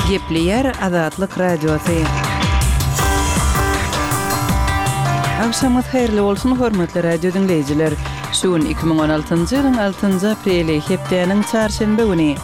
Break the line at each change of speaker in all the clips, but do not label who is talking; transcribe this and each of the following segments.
Gepleýär Azatlyk Radiosy. Agşamyňyz haýyrly bolsun, hormatly radio diňleýjiler! Şu gün 2016-njy ýylyň altynjy apreli, hepdäniň çarşenbe güni.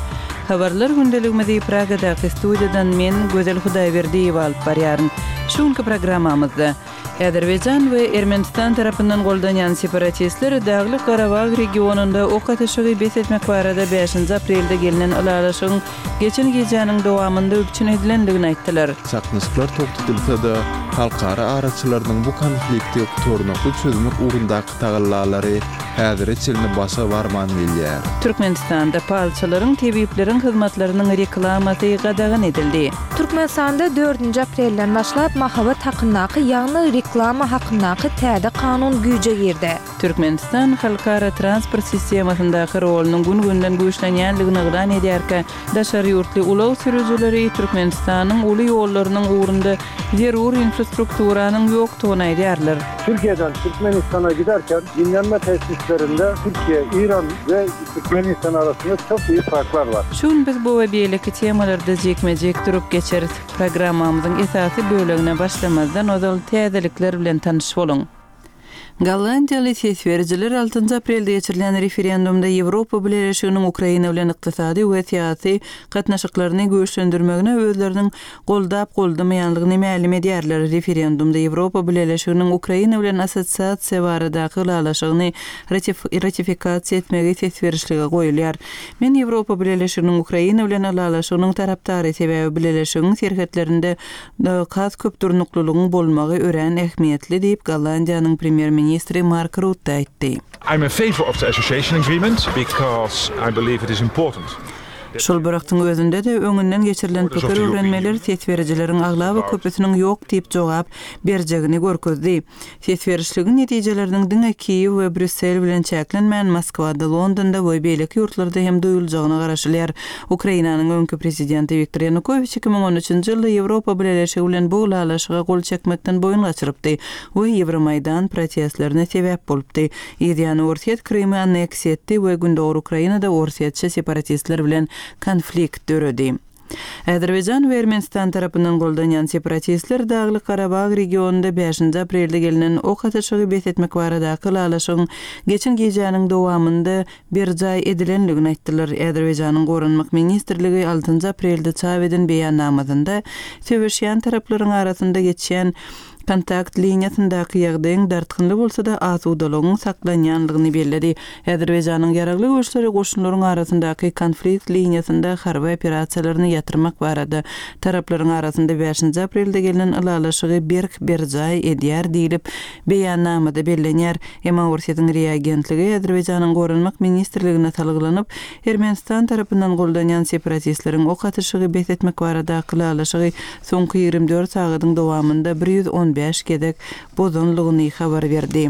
Habarlar gündeligimizi Pragadaky studiýadan men, Gözel Hudaýberdiýewa alyp barýaryn. Şu günki programmamyzda. Azerbaýjan we Ermenistan tarapyndan goldanýan separatistler Daglyk-Garabag regionynda ok atyşygy bes etmek barada bäşinji aprelde gelnen ylalaşygyň geçen gijäniň dowamynda üpjün edilendigini aýtdylar.
Çaknyşyklar togtadylsa-da, halkara araçylarynyň bu konflikti gutarnykly çözmek ugrundaky tagallalary häzire çenli başa barman gelýär.
Türkmenistanda palçylaryň, tebipleriň hyzmatlarynyň reklamasy gadagan edildi.
Türkmenistanda dördünji aprelden başlap mahabat hakyndaky, ýagny reklama hakyndaky täze kanun güýje girdi.
Türkmenistan halkara transport sistemasyndaky rolunyň gün-günden güýçlenýändigini yglan edýärkä, daşary ýurtly ulag sürüjileri Türkmenistanyň uly ýollarynyň ugrunda zerur infrastrukturanyň ýokdugyny aýdýarlar.
Türkiýeden Türkmenistana giderken dinlenme tesislerinde Türkiýe, İran we Türkmenistan arasynda çok büyük farklar bar.
Şu gün biz bu we beýleki temalarda jikme-jik durup geçeris. Programmamyzyň esasy bölegine başlamazdan ozal täzelikler bilen tanyş boluň. Gollandiýaly ses berijiler altynjy aprelde geçirilen referendumda Ýewropa Bileleşiginiň Ukraina bilen ykdysady we syýasy gatnaşyklaryny güýçlendirmegine özleriniň goldap-goldamaýanlygyny mälim edýärler. Referendumda Ýewropa Bileleşiginiň Ukraina bilen assosiasiýa baradaky ylalaşygyny ratifikasiýa etmegi ses berişlige goýulýar. Men Ýewropa Bileleşiginiň Ukraina bilen ylalaşygynyň tarapdary, sebäbi Bileleşigiň serhetlerinde has köp durnuklylygyň bolmagy örän ähmiýetli diýip, Gollandiýanyň premýer-ministri Mark Rutte aýtdy.
I'm in favour of the association agreement because I believe it is important.
Şol bir wagtyň özünde-de, öňünden geçirilen pikir öwrenmeler ses berijileriň aglaba köpüsiniň ýok diýip jogap berjegini görkezdi. Ses berişligiň netijeleriniň diňe Kiýew we Brýussel bilen çäklenmän, Moskwada, Londonda we beýleki ýurtlarda hem duýuljagyna garaşylýar. Ukrainanyň öňki prezidenti Wiktor Ýanukowiç 2013-nji ýylda Ýewropa Bileleşigi bilen bu ylalaşyga gol çekmekden boýun gaçyrypdy we Ýewromaýdan protestlerine sebäp bolupdy. Yzýany Orsýet Krymy anneksiýa etdi we Gündogar Ukrainada orsýetçi separatistler bilen konflikt döredi. Azerbaýjan we Ermenistan tarapyndan goldanýan separatistler Daglyk-Garabag regionynda bäşinji aprelde gelnen ok atyşygy bes etmek baradaky ylalaşygyň geçen gijäniň dowamynda berjaý edilendigini aýtdylar. Azerbaýjanyň Goranmak ministrligi altynjy aprelde çap eden beýannamasynda söweşýän taraplaryň arasynda geçýän Kontakt liniýasyndaky ýagdaýyň dartgynly bolsa-da, asudalygyň saklanýanlygyny belledi. Azerbaýjanyň Ýaragly güýçleri goşunlaryň arasyndaky konflikt liniýasynda harby operasiýalaryny ýatyrmak barada taraplaryň arasynda bäşinji aprelde gelnen ylalaşygy berk berjaý edýär diýlip, beýannamada bellenýär. Emma Orsýetiň RIA agentligi Azerbaýjanyň Goranmak ministrligine salgylanyp, Ermenistan tarapyndan goldanýan separatistleriň ok atyşygy bes etmek baradaky ylalaşygy soňky 24 sagadyň dowamynda 115 gezek bozanlygyny habar berdi.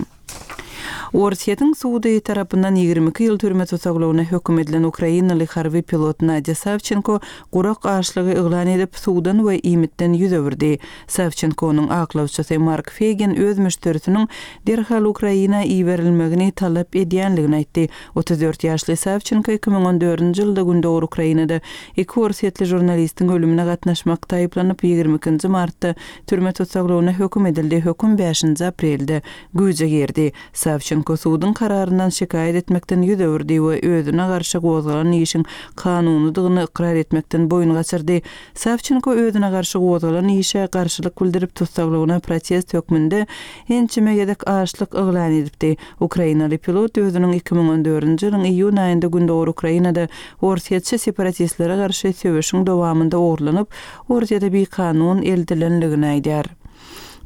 Orsýetiň sudy tarapyndan 22 ýyl türme tussaglygyna höküm edilen ukrainaly harby pilot Nadýa Sawçenko gurak açlygy yglan edip, suwdan we iýmitden ýüz öwürdi. Sawçenkonyň aklawçysy Mark Feýgin öz müşderisiniň derhal Ukraina iberilmegini talap edýänligini aýtdy. 34 ýaşly Sawçenko 2014-nji ýylda gündogar Ukrainada iki orsýetli žurnalistiň ölümine gatnaşmakda aýyplanyp, 22-nji martda türme tussaglygyna höküm edildi, höküm bäşinji aprelde güýje girdi. Sawçenko suduň kararyndan şikaýat etmekden ýüz öwürdi we özüne garşy gozgalan işiň kanunydygyny ykrar etmekden boýun gaçyrdy. Sawçenko özüne garşy gozgalan işe garşylyk bildirip, tussaglygyna protest hökmünde ençeme gezek açlyk yglan edipdi. Ukrainaly pilot özüniň 2014-nji ýylyň iýun aýynda gündogar Ukrainada orsýetçi separatistlere garşy söweşiň dowamynda ogurlanyp, Orsýete bikanun eltilendigini aýdýar.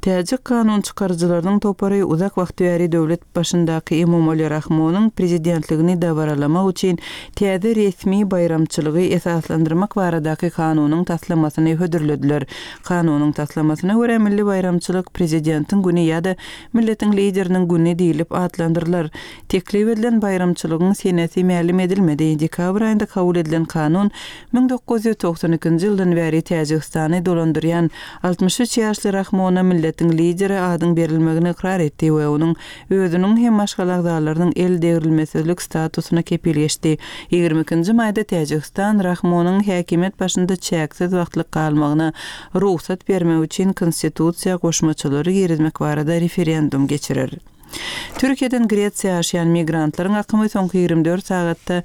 Täjik kanun çykaryjylarynyň topary uzak wagt bäri döwlet başyndaky Emomali Rahmonyň prezidentligini dabaralamak üçin täze resmi baýramçylygy esaslandyrmak baradaky kanunyň taslamasyny hödürlediler. Kanunyň taslamasyna görä, milli baýramçylyk Prezidentiň güni ýa-da Milletiň Lideriniň güni diýlip atlandyrylar. Teklip edilen baýramçylygyň senesi mälim edilmedi. Dekabr aýynda kabul edilen kanun 1992-nji ýyldan bäri Täjigistany dolandyrýan 63 ýaşly Rahmona milletiň. Orsýetiň lideri adyň berilmegini ykrar etdi we onuň özüniň hem maşgala agzalarynyň el degrilmesizlik statusyna kepil geçdi. Ýigrimi ikinji maýda Täjigistan Rahmonyň häkimiýet başynda çäksiz wagtlyk galmagyna rugsat bermek üçin konstitusiýa goşmaçalary girizmek barada referendum geçirer. Türkiýeden Gresiýa aşýan migrantlaryň akymy soňky 24 sagatda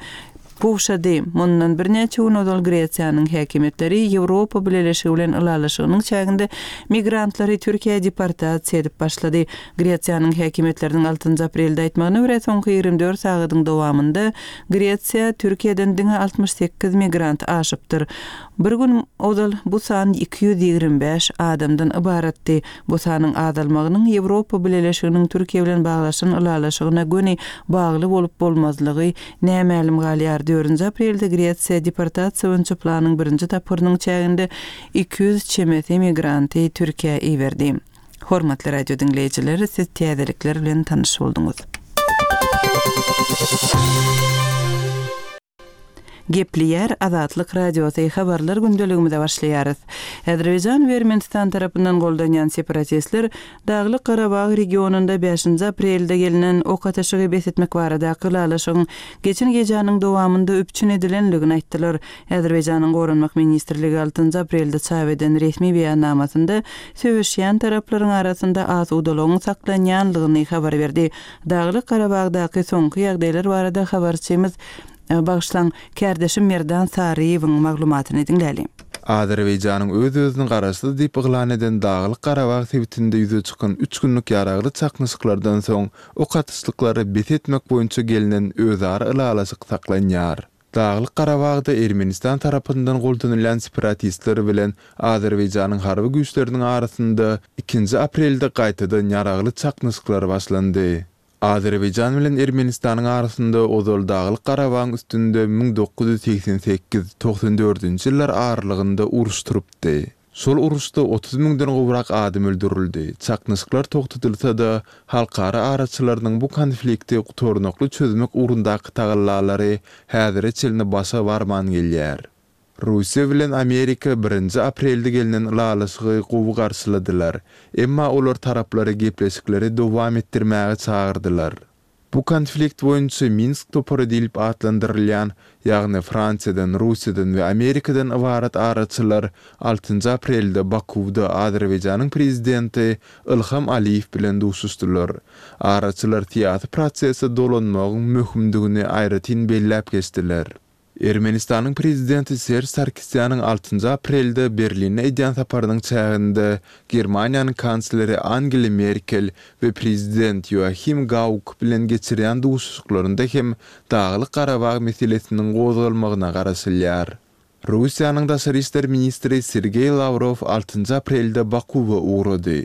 gowşady. Mundan birnäçe gün ozal Gresiýanyň häkimiýetleri Ýewropa Bileleşigi bilen ylalaşygynyň çäginde migrantlary Türkiýä deportasiýa edip başlady. Gresiýanyň häkimiýetleriniň altynjy aprelde aýtmagyna görä, soňky 24 sagadyň dowamynda Gresiýa Türkiýeden diňe 68 migrant aşypdyr. Bir gün ozal bu san 225 adamdan ybaratdy. Bu sanyň azalmagynyň Ýewropa Bileleşiginiň Türkiýe bilen baglaşan ylalaşygyna göni bagly bolup-bolmazlygy nämälim galýar. Dördünji aprelde Gresiýa deportasiýa boýunça planyň birinji tapgyrynyň çäginde 200 çemesi migranty Türkiýä iberdi. Hormatly radio diňleýjiler, siz täzelikler bilen tanyş bolduňyz. Gepleýär Azatlyk Radiosy, Habarlar gündeligimize başlaýarys. Azerbaýjan we Ermenistan tarapyndan goldanýan separatistler Daglyk Garabag regionynda bäşinji aprelde gelnen ok atyşygy bes etmek baradaky ylalaşygyň geçen gijäniň dowamynda üpjün edilendigini aýtdylar. Azerbaýjanyň Goranmak ministrligi altynjy aprelde çap eden resmi beýannamasynda söweşýän taraplaryň arasynda asudalygyň saklanýanlygyny habar berdi. Daglyk Garabagdaky soňky ýagdaýlar barada habarçymyz, bagyşlaň, kärdeşim Merdan Saryýewiň maglumatyny diňläliň.
Azerbaýjanyň öz-özüni garaşsyz diýip yglan eden Daglyk Garabag sebitinde ýüze çykan üç günlük ýaragly çaknyşyklardan soň ok atyşlyklary bes etmek boýunça gelnen özara ylalaşyk saklanýar. Daglyk Garabagda Ermenistan tarapyndan goldanylýan separatistler bilen Azerbaýjanyň harby güýçleriniň arasynda ikinji aprelde gaýtadan ýaragly çaknyşyklar başlandy. Azerbaýjan bilen Ermenistanyň arasynda ozal Daglyk Garabagyň üstünde 1988, 94-nji ýyllar aralygynda uruş turupdy. Şol uruşda 30 müňden gowrak adam öldürildi. Çaknyşyklar togtadylsa-da, halkara araçylarynyň bu konflikti gutarnykly çözmek ugrundaky tagallalary häzire çenli başa barman gelýär. Russiýa bilen Amerika birinji aprelde gelnen ylalaşygy gowy garşyladylar, emma olar taraplary gepleşikleri dowam etdirmäge çagyrdylar. Bu konflikt boýunça Minsk topary diýlip atlandyrylýan, ýagny Fransiýadan, Russiýadan we Amerikadan ybarat araçylar altynjy aprelde Bakuwda Azerbaýjanyň prezidenti Ilham Aliýew bilen duşuşdylar. Araçylar syýasy prosese dolanmagyň möhümdigini aýratyn belläp geçdiler. Ermenistanyň prezidenti Serž Sarkisýanyň altynjy aprelde Berline edýän saparynyň çäginde Germaniýanyň kansleri Angela Merkel we prezident Ýoahim Gauk bilen geçirýän duşuşyklarynda hem Daglyk-Garabag meselesiniň gozgalmagyna garaşylýar. Russiýanyň daşary işler ministri Sergeý Lawrow altynjy aprelde Bakuwa ugrady.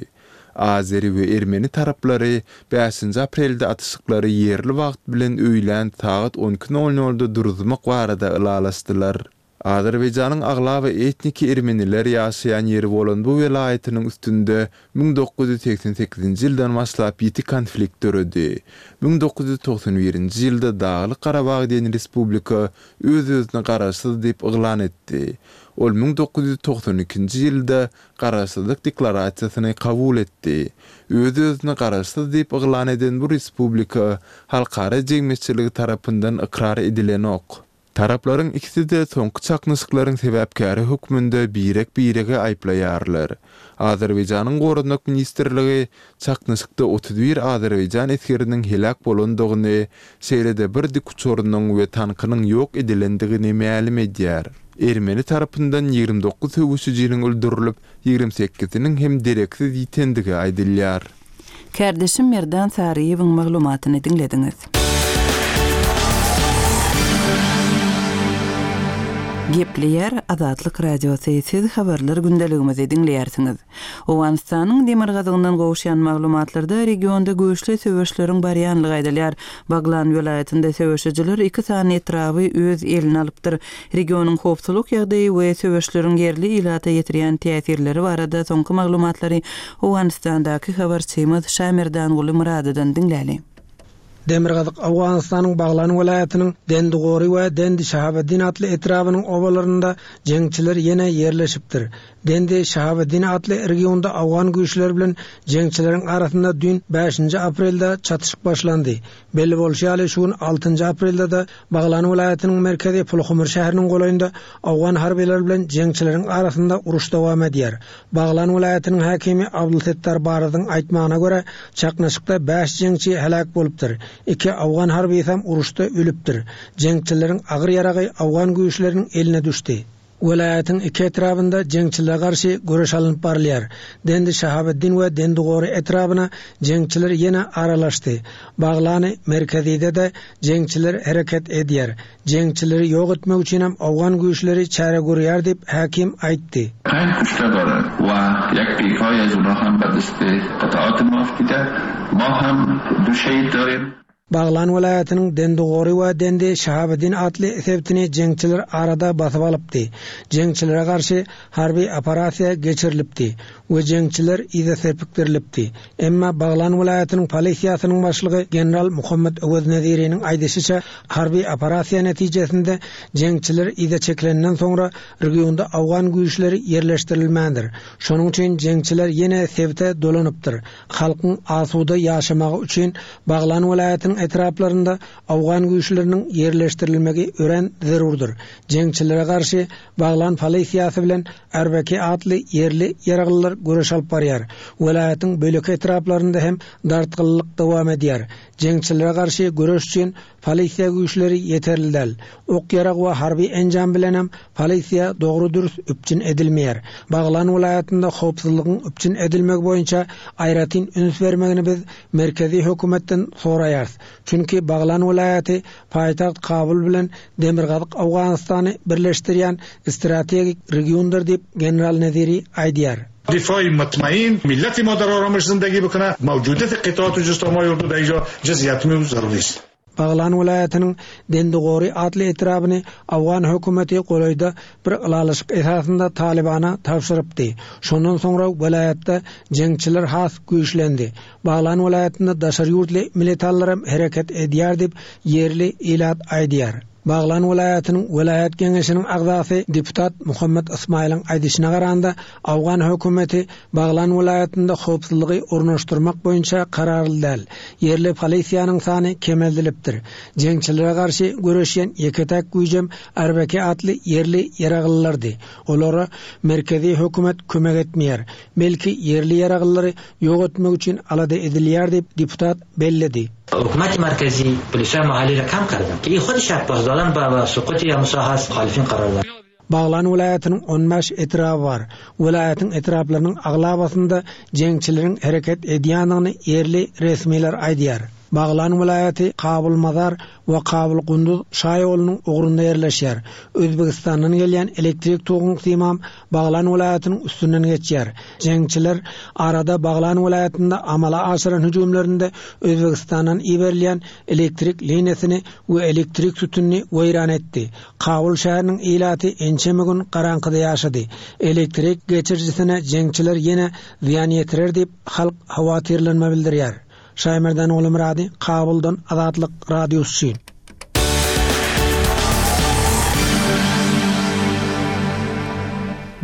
Azeri we ermeni taraplary bäşinji aprelde atyşyklary ýerli wagt bilen öýlän sagat on iki nol nolda duruzmak barada ylalaşdylar. Azerbaýjanyň aglaba etniki ermeniler ýaşaýan ýeri bolan bu welaýatynyň üstünde 1988-nji ýyldan başlap ýiti konflikt döredi. 1991-nji ýylda Daglyk-Garabag diýen respublika öz-özüni garaşsyz diýip yglan etdi. Ol 1992-nji ýylda Garaşsyzlyk Deklarasiýasyny kabul etdi. Öz-özüni garaşsyz diýip yglan eden bu respublika halkara jemgyýetçiligi tarapyndan ykrar edilenok. Taraplaryň ikisi-de soňky çaknyşyklaryň sebäpkäri hökmünde birek-biregi aýyplaýarlar. Azerbaýjanyň Goranmak ministrligi çaknyşykda 31 azerbaýjan esgeriniň heläk bolandygyny, şeýle-de bir dikuçarynyň we tankynyň ýok edilendigini mälim edýär. Ermeni tarapyndan 29 söweşijiniň öldürilip, 28-siniň hem dereksiz ýitendigi aýdylýar.
Kärdeşim Merdan Saryýewiň maglumatyny diňlediňiz. Gepleýär Azatlyk Radiosy, siz habarlar gündeligimizi diňleýärsiňiz. Owganystanyň demirgazygyndan gowuşýan maglumatlarda regionda güýçli söweşleriň barýanlygy aýdylýar. Baglan welaýatynda söweşijiler iki sany etraby öz eline alypdyr. Regionyň howpsuzlyk ýagdaýy we söweşleriň ýerli ilata ýetirýän täsirleri barada soňky maglumatlary Owganystandaky habarçymyz Şamerdanguly Myradydan diňläli.
Demirgazyk Owganystanyň Baglan welaýatynyň Dendigory we Dendi Şahabeddin atly etrabynyň obalarynda jeňçiler ýene ýerleşipdir. Dendi Şahabeddin atly regionda owgan güýçleri bilen jeňçileriň arasynda düýn bäşinji aprelde çatyşyk başlandy. Belli bolşy ýaly, şu gün altynjy aprelde-de Baglan welaýatynyň merkezi Pulhumur şäheriniň golaýynda owgan harbylary bilen jeňçileriň arasynda uruş dowam edýär. Baglan welaýatynyň häkimi Abdulsettar Barazyň aýtmagyna görä, çaknyşykda bäş jeňçi heläk bolupdyr, iki owgan harbysam uruşda ölüpdir. Jeňçileriň agyr ýaragy owgan güýçleriniň eline düşdi. Welaýatyň iki etrabynda jeňçilere garşy göreş alnyp barylýar. Dendi Şahabeddin we Dendi Gory etrabyna jeňçiler ýene aralaşdy. Baglany merkezide-de jeňçiler hereket edýär. Jeňçileri ýok etmek üçinem owgan güýçleri çäre görýär diýip, häkim aýtdy.
Pänç kuşte daren we ýek PK az ona hem be deste qitaat ma aftide, ma hem du şehid darim.
Baglan welaýatynyň Dendigory we Dendi Şahabeddin atly sebitini jeňçiler arada basyp alypdy. Jeňçilere garşy harby operasiýa geçirilipdi we jeňçiler yza serpikdirilipdi. Emma Baglan welaýatynyň polisiýasynyň başlygy general Muhammet Öwez Neziriniň aýdyşyça, harby operasiýa netijesinde jeňçiler yza çekilenden soňra regionda owgan güýçleri ýerleşdirilmändir. Şonuň üçin jeňçiler ýene sebite dolanypdyr. Halkyň asuda ýaşamagy üçin Baglan welaýatynyň etraplarynda owgan güýçleriniň ýerleşdirilmegi örän zerurdyr. Jeňçilere garşy Baglan polisiýasy bilen Arbeki atly ýerli ýaraglylar göreş alyp barýar. Welaýatyň beýleki etraplarynda hem dartgynlylyk dowam edýär. Jeňçilere garşy göreş üçin polisiýa güýçleri ýeterli däl. Ok-ýarag we harby enjam bilenem polisiýa dogry-dürs üpjün edilmeýär. Baglan welaýatynda howpsuzlygyň üpjün edilmegi boýunça aýratyn üns bermegini biz merkezi hökümetden soraýarys. Çünki Baglan welaýaty paýtagt Kabul bilen demirgazyk Owganystany birleşdirýän strategik regiondyr diýip, general Neziri aýdýar.
Difai mutmain millati ma dar aramish zindagi bikune mavjudiyati qitaat u jistomai urdu da inja jiz yatmi u zaruri ist.
Baglan welaýatynyň Dendigory atly etrabyny owgan hökümeti golaýda bir ylalaşyk esasynda Talybana tabşyrypdy. Şondan soňra welaýatda jeňçiler has güýçlendi. Baglan welaýatynda daşary ýurtly militallaram hereket edýär diýip, ýerli ilat aýdýar. Baglan welaýatynyň welaýat geňeşiniň agzasy deputat Muhammet Ysmaýylyň aýdyşyna garanda, owgan hökümeti Baglan welaýatynda howpsuzlygy ornaşdyrmak boýunça kararly däl. Ýerli polisiýanyň sany kemeldilipdir. Jeňçilere garşy göreşýän ýeke-täk güýjem RBK atly ýerli ýaraglylardy. Olara merkezi hökümet kömek etmeýär. Belki, ýerli ýaraglylary ýok etmek üçin alada edilýär diýip, deputat belledi.
Hökümeti merkezi polisay mahalli ra kam kardan ki hudişa pasdaran ba sukuti ya musahas muhalifin karar dar.
Baglan welaýatynyň on bäş etraby bar. Welaýatyň etraplarynyň aglabasynda jeňçileriň hereket edýändigini ýerli resmiler aýdýar. Baglan welaýaty Kabul-Mazar we Kabul-Gunduz şaýolunyň ugrunda ýerleşýär. Özbegistandan gelýän elektrik toguň simam Baglan welaýatynyň üstünden geçýär. Jeňçiler arada Baglan welaýatynda amala aşyran hüjümlerinde Özbegistandan iberilýän elektrik liniýasyny we elektrik sütünini weýran etdi. Kabul şäheriniň ilaty ençeme gün garaňkyda ýaşady. Elektrik geçirijisine jeňçiler ýene zyýan ýetirer diýip, halk howatyrlanma bildirýär. Şaýmerdan Gulumyrady, Kabuldan Azatlyk Radiosy üçin.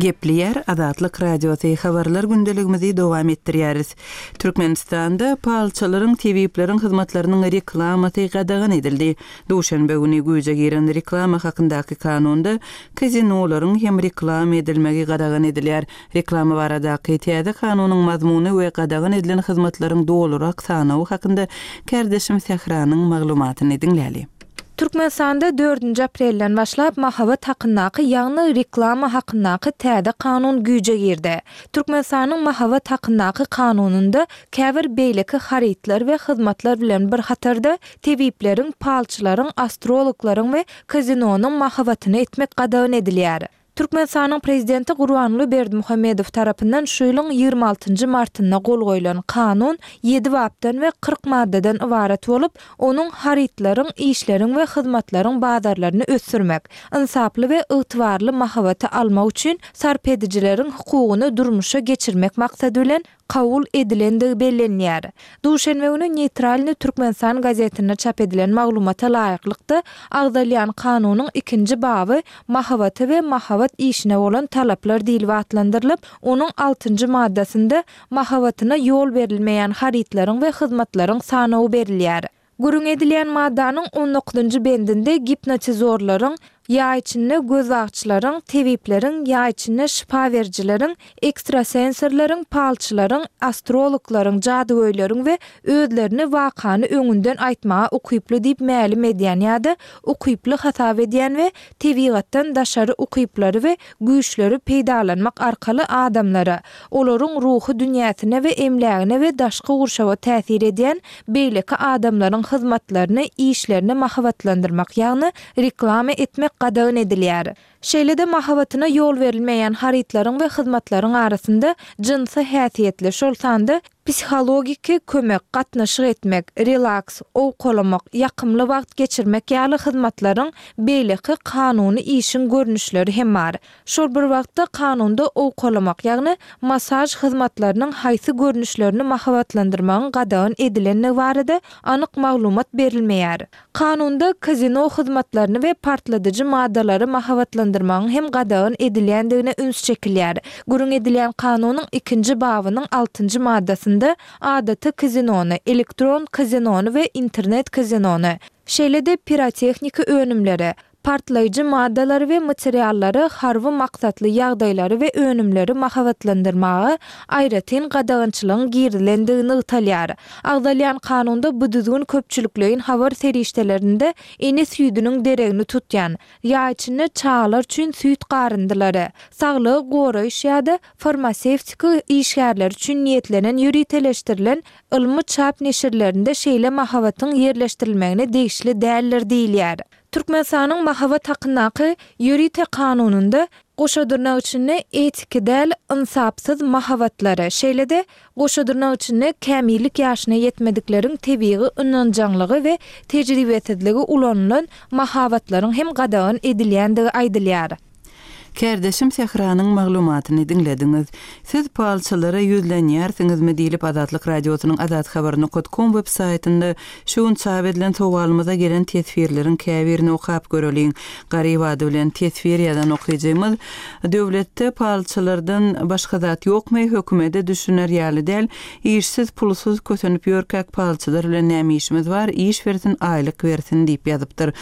Gepleýär Azatlyk Radiosy, Habarlar gündeligimizi dowam etdirýäris. Türkmenistanda palçylaryň, tebipleriň hyzmatlarynyň reklamasy gadagan edildi. Duşenbe güni güýje giren Reklama hakyndaky kanunda kazinolaryň hem reklama edilmegi gadagan edilýär. Reklama baradaky täze kanunyň mazmuny we gadagan edilen hyzmatlaryň dolurak sanawy hakynda kärdeşim Sähranyň maglumatyny diňläli.
Türkmenistanda dördünji aprelden başlap mahabat hakyndaky, ýagny reklama hakyndaky täze kanun güýje girdi. Türkmenistanyň mahabat hakyndaky kanunynda käbir beýleki harytlar we hyzmatlar bilen bir hatarda tebipleriň, palçylaryň, astrologlaryň we kazinonyň mahabatyny etmek gadagan edilýär. Türkmenistanyň Prezidenti Gurbanguly Berdimuhamedow tarapyndan şu ýylyň 26 nji martynda gol goýlan Kanun ýedi bapdan we 40 maddadan ybarat bolup, onuň harytlaryň, işleriň we hyzmatlaryň bazarlaryny ösdürmek, ynsaply we ygtybarly mahabaty almak üçin sarp edijileriň hukugyny durmuşa geçirmek maksady bilen. kabul edilendigi bellenilýär. Duşenbe güni Neýtralnyý Türkmenistan gazetinde çap edilen maglumata laýyklykda, agzalýan kanunyň ikinji baby Mahabata we mahabat işine bolan talaplar diýlip atlandyrylyp, onuň altynjy maddasynda mahabatyna ýol berilmeýän harytlaryň we hyzmatlaryň sanawy berilýär. Gürrüň edilýän maddanyň on dokuzynjy bendinde gipnotizorlaryň, ýaý içinde gözbagçylaryň, tebipleriň, ýaý içinde şypa berijileriň, ekstrasensorlaryň, palçylaryň, astrologlaryň, jadygöýleriň we özlerini wakany öňünden aýtmaga ukyply diýip mälim edýän ýa-da ukyply hasap edýän we tebigatdan daşary ukyplary we güýçleri peýdalanmak arkaly adamlara, olaryň ruhy dünýäsine we emlägine we daşky gurşawa täsir edýän beýleki adamlaryň hyzmatlaryny, işlerini mahabatlandyrmak, ýagny reklama etmek gadagan edilýär. Şeýle-de mahabatyna ýol berilmeýän harytlaryň we hyzmatlaryň arasynda jynsy häsiýetli, şol sanda psihologiki kömek, gatnaşyk etmek, relaks, owkalamak, ýakymly wagt geçirmek ýaly hyzmatlaryň beýleki kanuny işiň görnüşleri hem bar. Şol bir wagtda kanunda owkalamak, ýagny massaž hyzmatlarynyň haýsy görnüşlerini mahabatlandyrmagyň gadagan edilendigi barada anyk maglumat berilmeýär. Kanunda kazino hyzmatlaryny we partladyjy maddalary mahabatlandyrmagyň hem gadagan edilýändigine üns çekilýär. Gürrüň edilýän kanunyň ikinji babynyň altynjy maddasynda adaty kazinony, elektron kazinony we internet kazinony, şeýle-de pirotehniki önümleri, Partlaýjy maddalary we materiallary, harby maksatly ýagdaýlary we önümleri mahabatlandyrmaga aýratyn gadagançylygyň girizilendigi nygtalýar. Agzalýan kanunda bu düzgün köpçülikleýin habar serişdelerinde ene süýdüniň deregini tutýan, ýaý içinde çagalar üçin süýt garyndylary, saglygy goraýyş ýa-da farmasewtika işgärleri üçin niýetlenen ýöriteleşdirilen ylmy çap neşirlerinde şeýle mahabatyň ýerleşdirilmegine degişli däldir diýilýär. Türkmenistanyň Mahabat hakyndaky ýörite kanunynda goşa dyrnak içinde etiki däl, ynsapsyz mahabatlary, şeýle-de goşa dyrnak içinde kämillik ýaşyna ýetmedikleriň tebigy ynanjaňlygy we tejribesizligi ulanylan mahabatlaryň hem gadagan edilýändigi aýdylýar.
Kärdeşim Sähranyň maglumatyny diňlediňiz. Siz palçylara ýüzlenýärsiňizmi diýlip Azatlyk Radiosynyň Azathabar nokat kom web saýtynda şu gün çap edilen sowalymyza gelen teswirleriň käbirini okap göreliň. Garyp ady bilen teswir ýazan okyjymyz, Döwletde palçylardan başga zat ýokmy, hökümede düşüner ýaly däl, Işsiz, pulsuz kösenip ýörkäk palçylar bilen näme işimiz bar, iş bersin, aýlyk bersin diýip ýazypdyr.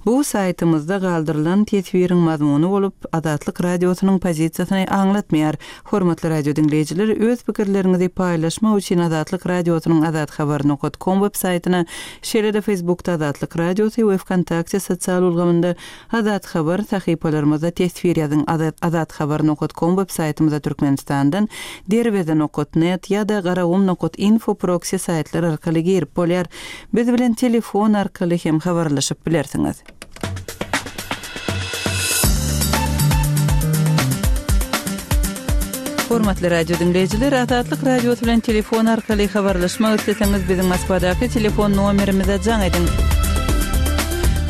Bu saýtymyzda galdyrylan teswiriň mazmuny bolup, Azatlyk Radiosynyň pozisiýasyny aňlatmaýar. Hormatly radio diňleýjiler, öz pikirleriňizi paýlaşmak üçin Azatlyk Radiosynyň azathabar nokat kom web saýtyna, şeýle-de Facebookda Azatlyk Radiosy we Wkontakte sosial ulgamynda Azat Habar sahypalarymyzda teswir ýazyň Azat Habar nokat kom web saýtymyza Türkmenistandan Derweze nokat net ýa-da Garagum nokat info proksi saýtlar arkaly girip bolýar. Biz bilen telefon arkaly hem habarlaşyp bilersiňiz. Hormatly radio diňleýjiler, Azatlyk Radiosy bilen telefon arkaly habarlaşmak isleseňiz, biziň Moskwadaky telefon nomerimize jaň ediň.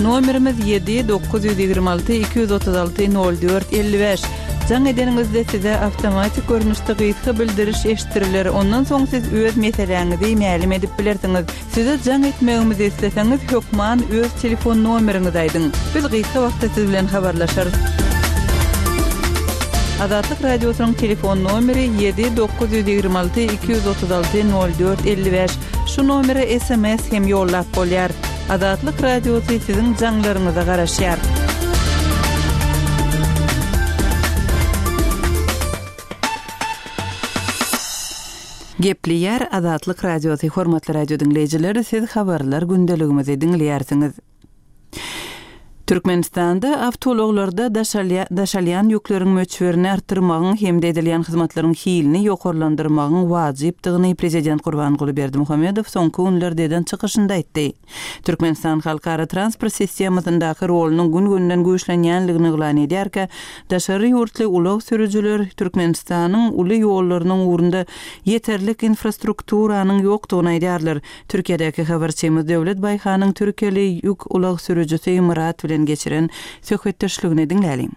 Nomerimiz 7 926 236 04 55. Jaň edeniňizde size awtomatik görnüşde gysga bildiriş eşitdiriler. Ondan soň siz öz meseläňizi mälim edip bilersiňiz. Size jaň etmegimizi isleseňiz hökman öz telefon nomeriňizi aýdyň. Biz gysga wagtda siz bilen habarlaşarys. Azatlyk Radiosynyň telefon nomeri 7 926 236 04 55. Şu nomere sms hem ýollap bolýar. Azatlyk Radiosy siziň jaňlaryňyza garaşýar. Gepleýär Azatlyk Radiosy Hormatly radio diňleýjiler siz habarlar gündeligimizi diňleýärsiňiz. Türkmenistanda awtoulaglarda daşalýan ýükleriň möçberini artdyrmagyň hem-de edilýän hyzmatlaryň hilini ýokarlandyrmagyň wajypdygyny prezident Gurbanguly Berdimuhamedow soňky günlerde eden çykyşynda aýtdy. Türkmenistan halkara transport sistemasyndaky rolunyň gün-günden güýçlenýänligini yglan edýärkä, daşary ýurtly ulag sürüjiler Türkmenistanyň uly ýollarynyň ugrunda ýeterlik infrastrukturanyň ýokdugyny aýdýarlar. Türkiýedäki habarçymyz Döwlet Baýhanyň türkiýeli ýük ulag sürüjisi Myrat bilen geçiren söhbetdeşligini diňläliň.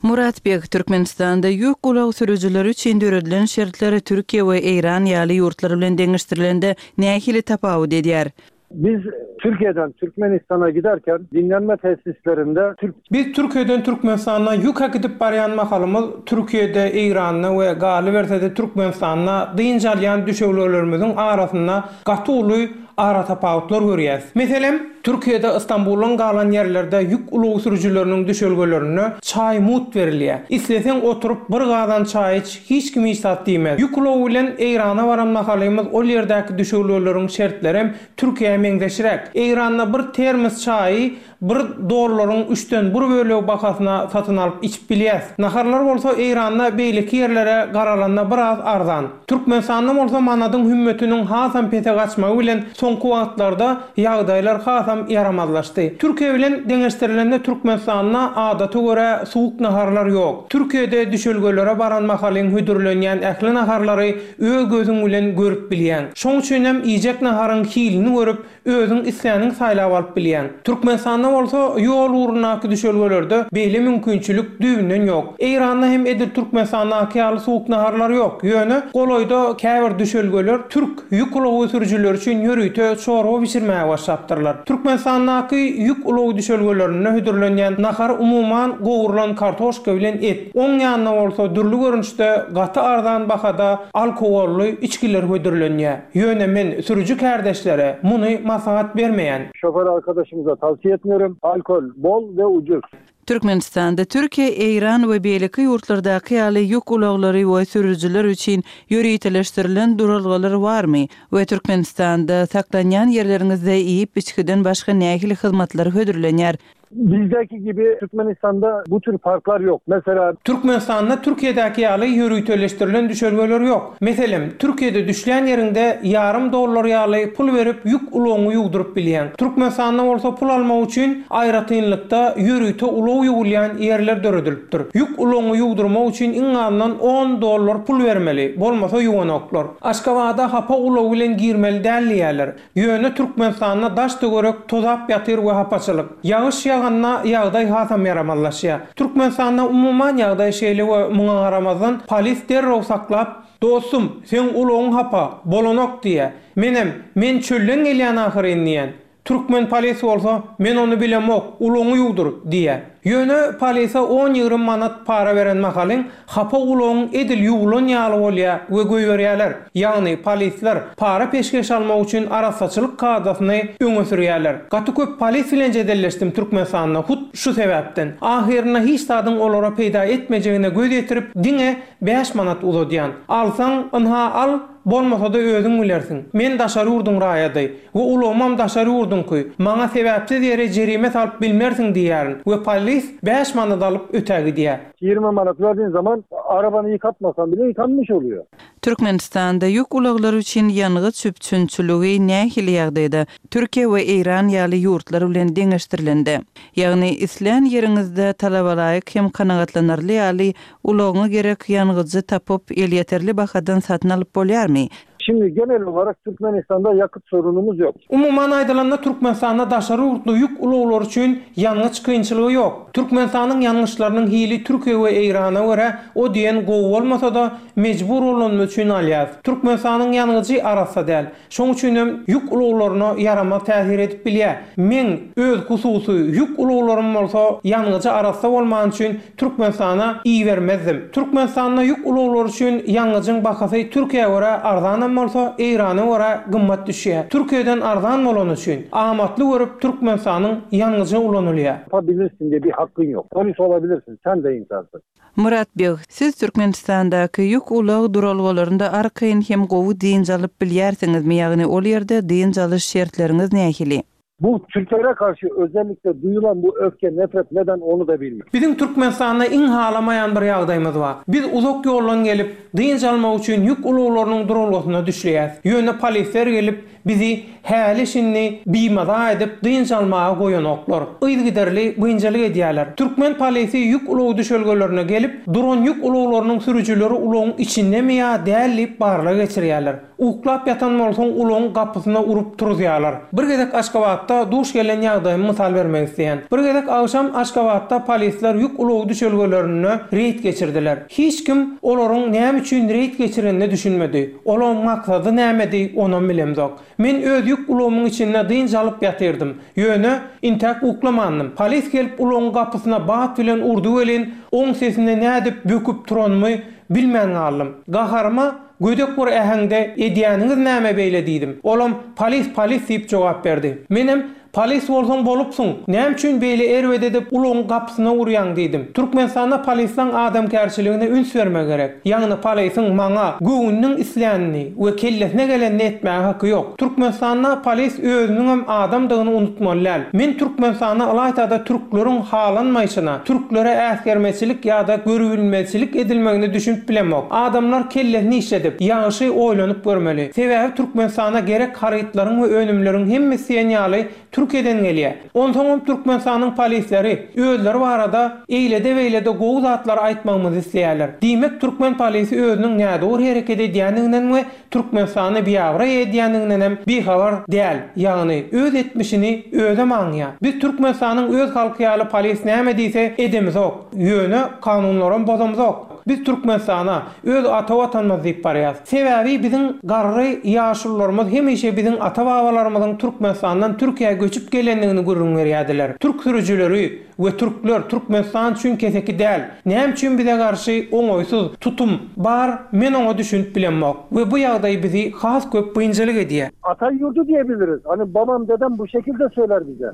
Murat beg, Türkmenistanda ýük ulag sürüjileri üçin döredilen şertler Türkiýe we Eýran ýaly ýurtlar bilen deňeşdirilende nähili tapawut edýär?
Biz Türkiýeden Türkmenistana giderken dinlenme tesislerinde Türk.
Biz Türkiýeden Türkmenistana ýük äkidip barýan mahalymyz Türkiýede, Eýranda we galyberse-de Türkmenistanda dynç alýan düşewlelerimiziň arasynda gaty uly aratapawutlar görýäs. Meselem, Türkiýede Ystambuldan galan ýerlerde ýük ulag sürüjileriniň düşelgelerinde çaý mugt berilýär. Isleseň oturyp bir gazan çaý iç, hiç kim hiç zat diýmez. Ýük ulagy bilen Eýrana baran mahalymyz ol ýerdäki düşelgeleriň şertlerem Türkiýä meňzeşräk. Eýranda bir termos çaýy bir dollaryň üçden bir bölegi bahasyna satyn alyp içip bilýäs. Naharlar bolsa Eýranda beýleki ýerlere garalanda biraz arzan. Türkmenistanda bolsa manadyň hümmetiniň hasam pese gaçmagy bilen soňky wagtlarda ýagdaýlar hasam ýaramazlaşdy. Türkiýe bilen deňeşdirilende Türkmenistanda adata görä suwuk naharlar ýok. Türkiýede düşelgelere baran mahalyň hödürlenýän ähli naharlary öz gözüň bilen görüp bilýäň. Şoň üçinem iýjek naharyň hilini görüp, Özüň isläniňi saýlap alyp bilýäň. Türkmenistanda bolsa ýol ugrundaky düşelgelerde beýle mümkinçilik düýbünden ýok. Eýranda hem edil Türkmenistandaky ýaly suwuk naharlar ýok. Ýöne golaýda käbir düşelgeler türk ýük ulagy sürüjileri üçin ýörite çorba bişirmäge başlapdyrlar. Türkmenistandaky ýük ulagy düşelgelerinde hödürlenýän nahar umuman gowrulan kartoşka bilen et. Oň ýanyna bolsa dürli görnüşde gaty arzan bahada alkogolly içgiler hödürlenýär. Ýöne men sürüji kärdeşlere muny maslahat bermeýän.
Şoför arkadaşymyza tavsiye etmiyorum. Alkol bol we ucuz.
Türkmenistanda Türkiýe, Eýran we beýleki ýurtlardaky ýaly ýük ulaglary we sürüjiler üçin ýöriteleşdirilen duralgalar barmy we Türkmenistanda saklanýan ýerleriňizde iýip-içgiden başga nähili hyzmatlar hödürlenýär?
Bizdäki gibi Türkmenistanda bu tür parklar ýok. Mesela.
Türkmenistanda Türkiýedäki ýaly ýöriteleşdirilen düşelgeler ýok. Meselem, Türkiýede düşlän ýeriňde ýarym dollar ýaly pul berip ýük ulagyňy ýuwduryp bilýäň. Türkmenistanda bolsa pul almak üçin aýratynlykda ýörite ulag ýuwulýan ýerler döredilipdir. Ýük ulagyňy ýuwdurmak üçin iň azyndan on dollar pul bermeli, bolmasa ýuwanoklar. Aşgabada hapa ulag bilen girmeli däl diýýärler. Ýöne Türkmenistanda daş-töwerek tozap ýatyr we hapaçylyk. Ýagyş ýaganda ýagdaý hasam ýaramazlaşýar. Türkmenistanda umuman ýagdaý şeýle we muňa garamazdan polis derrew saklap, Dostum, seň ulagyň hapa, bolanok diýýär. Menem, Men çölden gelýän ahyryn diýýän. Türkmen polis bolsa, Men ony bilemok, ulagyňy ýuwdur diýýär. Ýöne polise on-ýigrimi manat para beren mahalyň hapa ulagyň edil ýuwlan ýaly bolýar we goýberýärler. Ýagny polisler para-peşgeş almak üçin arassaçylyk kadasyny öňe sürýärler. Gaty köp polis bilen jedelleşdim Türkmenistanda hut şu sebäpden. Ahyrynda hiç zadyň olara peýda etmejegine göz ýetirip diňe bäş manat uzadýan. Alsaň, ynha al, bolmasa-da özüň bilersiň. Men daşary ýurduň raýady. We ulagymam daşary ýurduňky. Maňa sebäpsiz ýere jerime salyp bilmersiň diýýärin we polis bäş manat alyp ötä gidýär.
20 manat verdiğin zaman arabany yıkatmasan bile yıkanmış oluyor.
Türkmenistanda ýük ulaglary üçin ýangyç üpjünçiligi nähili ýagdaýda, Türkiýe we Eýran ýaly ýurtlar bilen deňeşdirilende? Ýagny islän ýeriňizde talabalaýyk hem kanagatlanarly ýaly ulagyňa gerek ýangyjy tapyp, elýeterli bahadan satyn alyp bolýarmy?
Şimdi genel olarak Türkmenistanda yakıt sorunumuz yok.
Umuman aýdylanda Türkmenistanda daşary ýurtly ýük ulaglary üçin ýangyç kynçylygy ýok. Türkmenistanyň ýangyçlarynyň hili Türkiýe we Eýrana görä o diýen gowy bolmasa-da mejbur bolanymyz üçin alýas. Türkmenistanyň ýangyjy arassa däl. Şoň üçinem ýük ulaglaryna ýaramaz täsir edip bilýär. Meň öz hususy ýük ulaglarym bolsa ýangyjy arassa bolmany üçin Türkmenistana ibermezdim. Türkmenistanda ýük ulaglary üçin ýangyjyň bahasy Türkiýä görä arzanam bolsa, Eýrana görä gymmat düşýär. Türkiýeden arzan bolany üçin, amatly görüp Türkmenistanyň ýangyjy ulanylýar.
Yapabilirsin diye bir hakkın yok. Polis olabilirsin, sen de insansın.
Myrat beg, siz Türkmenistandaky ýük ulag duralgalarynda arkaýyn hem gowy dynç alyp bilýärsiňizmi, ýagny ol ýerde dynç alyş şertleriňiz nähili?
Bu Türklere karşı özellikle duyulan bu öfke, nefret neden onu da bilmiyorum.
Biziň Türkmenistanda iň halamaýan bir ýagdaýymyz bar. Biz uzak ýoldan gelip, dynç almak üçin ýük ulaglarynyň duralgasynda düşleýäs. Ýöne polisler gelip, bizi häli-şindi bimaza edip dynç almaga goýanoklar. Yzygiderli biynjalyk edýärler. Türkmen polisi ýük ulagy düşelgelerine gelip, duran ýük ulaglarynyň sürüjileri ulagyň içindemi ýa däl diýip barlag geçirýärler. Uklap ýatan bolsaň ulagyň gapysyna urup turuzýarlar. Bir gezek Aşgabatda. Aşgabatda duş gelen ýagdaýymy mysal bermek isleýän. Bir gezek agşam Aşgabatda polisler ýük ulagy düşelgelerinde reýd geçirdiler. Hiç kim olaryň näme üçin reýd geçirenine düşünmedi. Olaň maksady nämedi, onam bilemzok. Men öz ýük ulagymyň içinde dynç alyp ýatyrdym. Ýöne, intäk uklamandym. Polis gelip ulagyň gapysyna bat bilen urdy welin, oň sesine nädip böküp turanymy bilmän galdym. Gaharyma gödek bir äheňde Edýäniňiz näme beýle diýdim. Olam Polis, polis diýip jogap berdi. Menem Polis bolsaň bolupsyň, näme üçin beýle erbet edip ulagyň gapysyna urýaň diýdim. Türkmenistanda polislaň adamkärçiligine üns bermek gerek. Ýagny polisiň maňa göwnüniň islänini we kellesine gelenini etmäge haky ýok. Türkmenistanda polis özüniňem adamdygyny unutmaly däl. Men Türkmenistanda ylaýtada türkleriň halanmaýşyna, türklere äsgermezçilik ýa-da görübilmezçilik edilmegine düşünip bilemok. Adamlar kellesini işledip, ýagşy oýlanyp görmeli. Sebäbi Türkmenistana gerek harytlaryň we önümleriň hemmesi diýen ýaly Türkiýeden gelýär. Onsoňam Türkmenistanyň polisleri özleri barada eýlede-beýlede gowy zatlary aýtmagymyzy isleýärler. Diýmek türkmen polisi özüniň nädogry hereket edýändiginden we Türkmenistany biabraý edýändigindenem bihabar däl, ýagny öz etmişini özem aňýar. Biz Türkmenistanyň öz halky ýaly polis näme diýse edemizok, ýöne kanunlaram bozamzok. Biz Türkmenistana, öz ata Watanymyz diýip barýas. Sebäbi biziň garry ýaşulularymyz hemişe biziň ata-babalarymyzyň Türkmenistandan Türkiýä göçüp gelendigini gürrüň berýärdiler. Türk sürüjileri we türkler Türkmenistan üçin keseki däl. Näme üçin bize garşy oňaýsyz tutum bar men oňa düşünip bilemok we bu ýagdaý bizi has köp biynjalyk edýär.
Ata ýurdy diýebiliriz. Hani babam dedem bu şekilde söyler bize.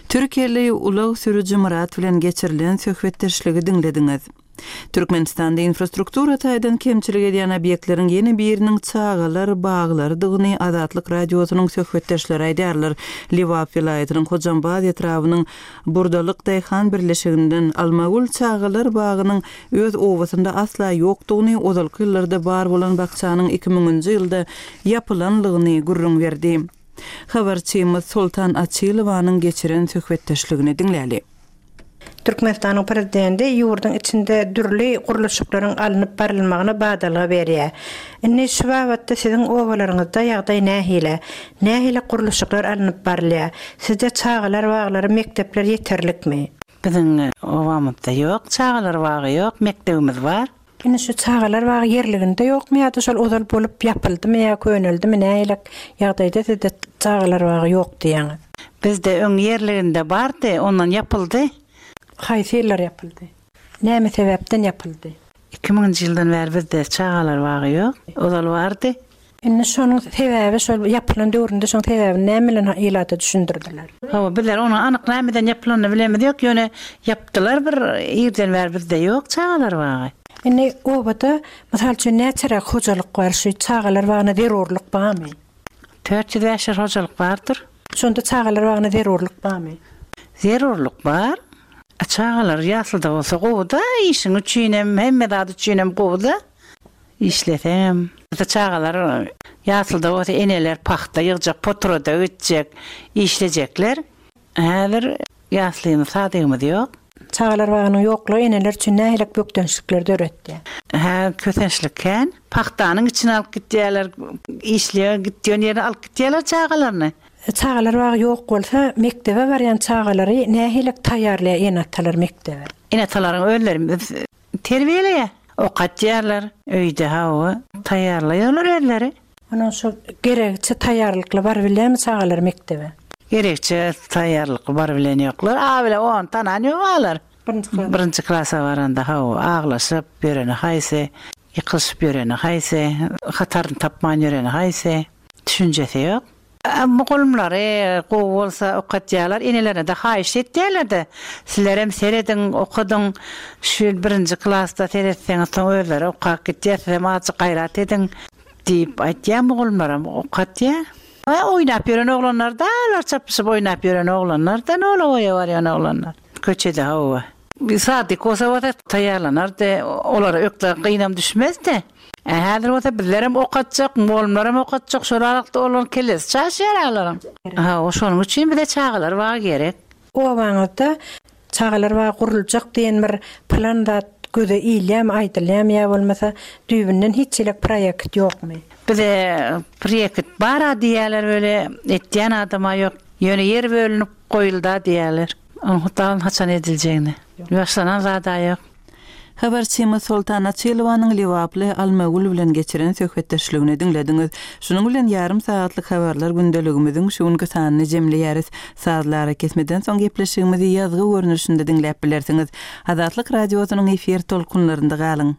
Türkiýeli ulag sürüji Myrat bilen geçirilen söhbetdeşligi diňlediňiz. Türkmenistanda infrastruktura taýdan kemçilik edýän obýektleriň ýene biriniň çagalar baglarydygyny Azatlyk Radiosynyň söhbetdeşleri aýdýarlar. Lebap welaýatynyň Hojambaz etrabynyň Burdalyk daýhan birleşiginden Almagül çagalar bagynyň öz obasynda asla ýokdugyny, ozalky ýyllarda bar bolan bakjanyň iki müňünji ýylda ýapylanlygyny gürrüň berdi. Habarçymyz Soltan Açylowanyň geçiren söhbetdeşligini diňläli.
Türkmenistanyň Prezidenti ýurduň içinde dürli gurluşyklaryň alnyp barylmagyna badalga berýär. Indi şu babatda siziň obalaryňyzda ýagdaý nähili? Nähili gurluşyklar alnyp barylýar? Sizde çagalar baglary, mekdepler ýeterlikmi?
Biziň obamyzda ýok, çagalar bagy ýok, mekdebimiz bar.
Indi şu çagalar bagy ýerliginde ýokmy ýa-da şol ozal bolup ýapyldymy ýa köneldimi nähilek ýagdaýda sizde çagalar bagy ýok diýýäňiz?
Bizde öň ýerliginde bardy, ondan ýapyldy.
Haýsy ýyllar ýapyldy? Näme sebäpden ýapyldy?
Iki müňünji ýyldan bäri bizde çagalar bagy ýok. Ozal bardy.
Indi şonuň sebäbi şol ýapylan döwründe şoň sebäbini näme bilen ilata düşündirdiler?
Hawa bizler onuň anyk nämeden ýapylanyny bilemiz ýok ýöne ýapdylar bir irden bäri bizde ýok çagalar bagy.
Indi obada mysal üçin näçeräk hojalyk bar şu çagalar bagyna zerurlyk barmy?
400 500 hojalyk bardyr.
Şonda çagalar bagyna zerurlyk barmy?
Zerurlyk bar. Çagalar ýaslyda bolsa gowuda işiň üçinem hemme zat üçinem gowuda. Işleseňem. Çagalar ýasylda bolsa eneler pagta ýygjak, potrada gitjek, işlejekler. Häzir ýaslymyz, sadygymyz ýok.
Çagalar bagynyň ýoklugy eneler üçin nähilek bökdençlikler döretýär?
Hä, kösençlik kän. Pagtanyň içine alyp gitýärler, işleýän gitýän ýerine alyp gitýärler çagalaryny.
Çagalar bagy ýok bolsa, mekdebe barýan çagalary nähilek taýýarlaýar ene-atalar mekdebe?
Ene-atalaryň özleri biz Terbiýeleýär. Okatýarlar. Öýde hawa, taýýarlaýarlar özleri.
Onuň şu geregiçe taýýarlykly barybilýärmi çagalar mekdebe?
Geregiçe taýýarlykly barybilen ýoklar. A bile ony tanan ýok alar.
Birinji klasa.
Birinji klasa baranda hawa, aglaşyp ýöreni haýsy, ýykylyşyp ýöreni haýsy, hataryny tapman ýöreni haýsy, düşünjesi ýok. Mugallymlary gowy bolsa okatýarlar, enelerine-de haýyşt etýärler-de, sizlerem serediň, okadyň, şu ýyl birinji klasda seretseňiz soň özleri okap gitýär, sizem azajyk gaýrat ediň diýip aýtýar mugallymlaram okatýar. Oýnap ýören oglanlar-da olar çapyşyp oýnap ýören oglanlar-da nolawoýa barýan oglanlar. Köçede hawa. Sadyk bolsa bolsa taýýarlanardy, olara ökde gynam düşmezdi. Ä häzir bolsa bizlerem okatjak, mugallymlaram okatjak, şol aralykda olaryň kellesi çaşýar alaryň. Hawa, şonuň üçin bize çagalar bagy gerek.
Obaňyzda çagalar bagy guruljak diýen bir plan zat göze ilýärmi, aýdylýarmy ýa bolmasa düýbünden hiç hili proýekt ýokmy?
Bize proýekt bar-a diýýärler weli, etýän adam-a ýok. Ýöne ýer bölünip goýulda diýýärler. Onuň hut haçan ediljegini. Başlanan zad-a ýok.
Habarçymyz Soltan Açylowanyň lebaply Almagül bilen geçiren söhbetdeşligini diňlediňiz. Şunuň bilen ýarym sagatlyk habarlar gündeligimiziň şu günki sanyny jemleýäris. Sazly arakesmeden soň gepleşigimizi ýazgy görnüşinde diňläp bilersiňiz. Azatlyk Radiosynyň efir tolkunlarynda galyň!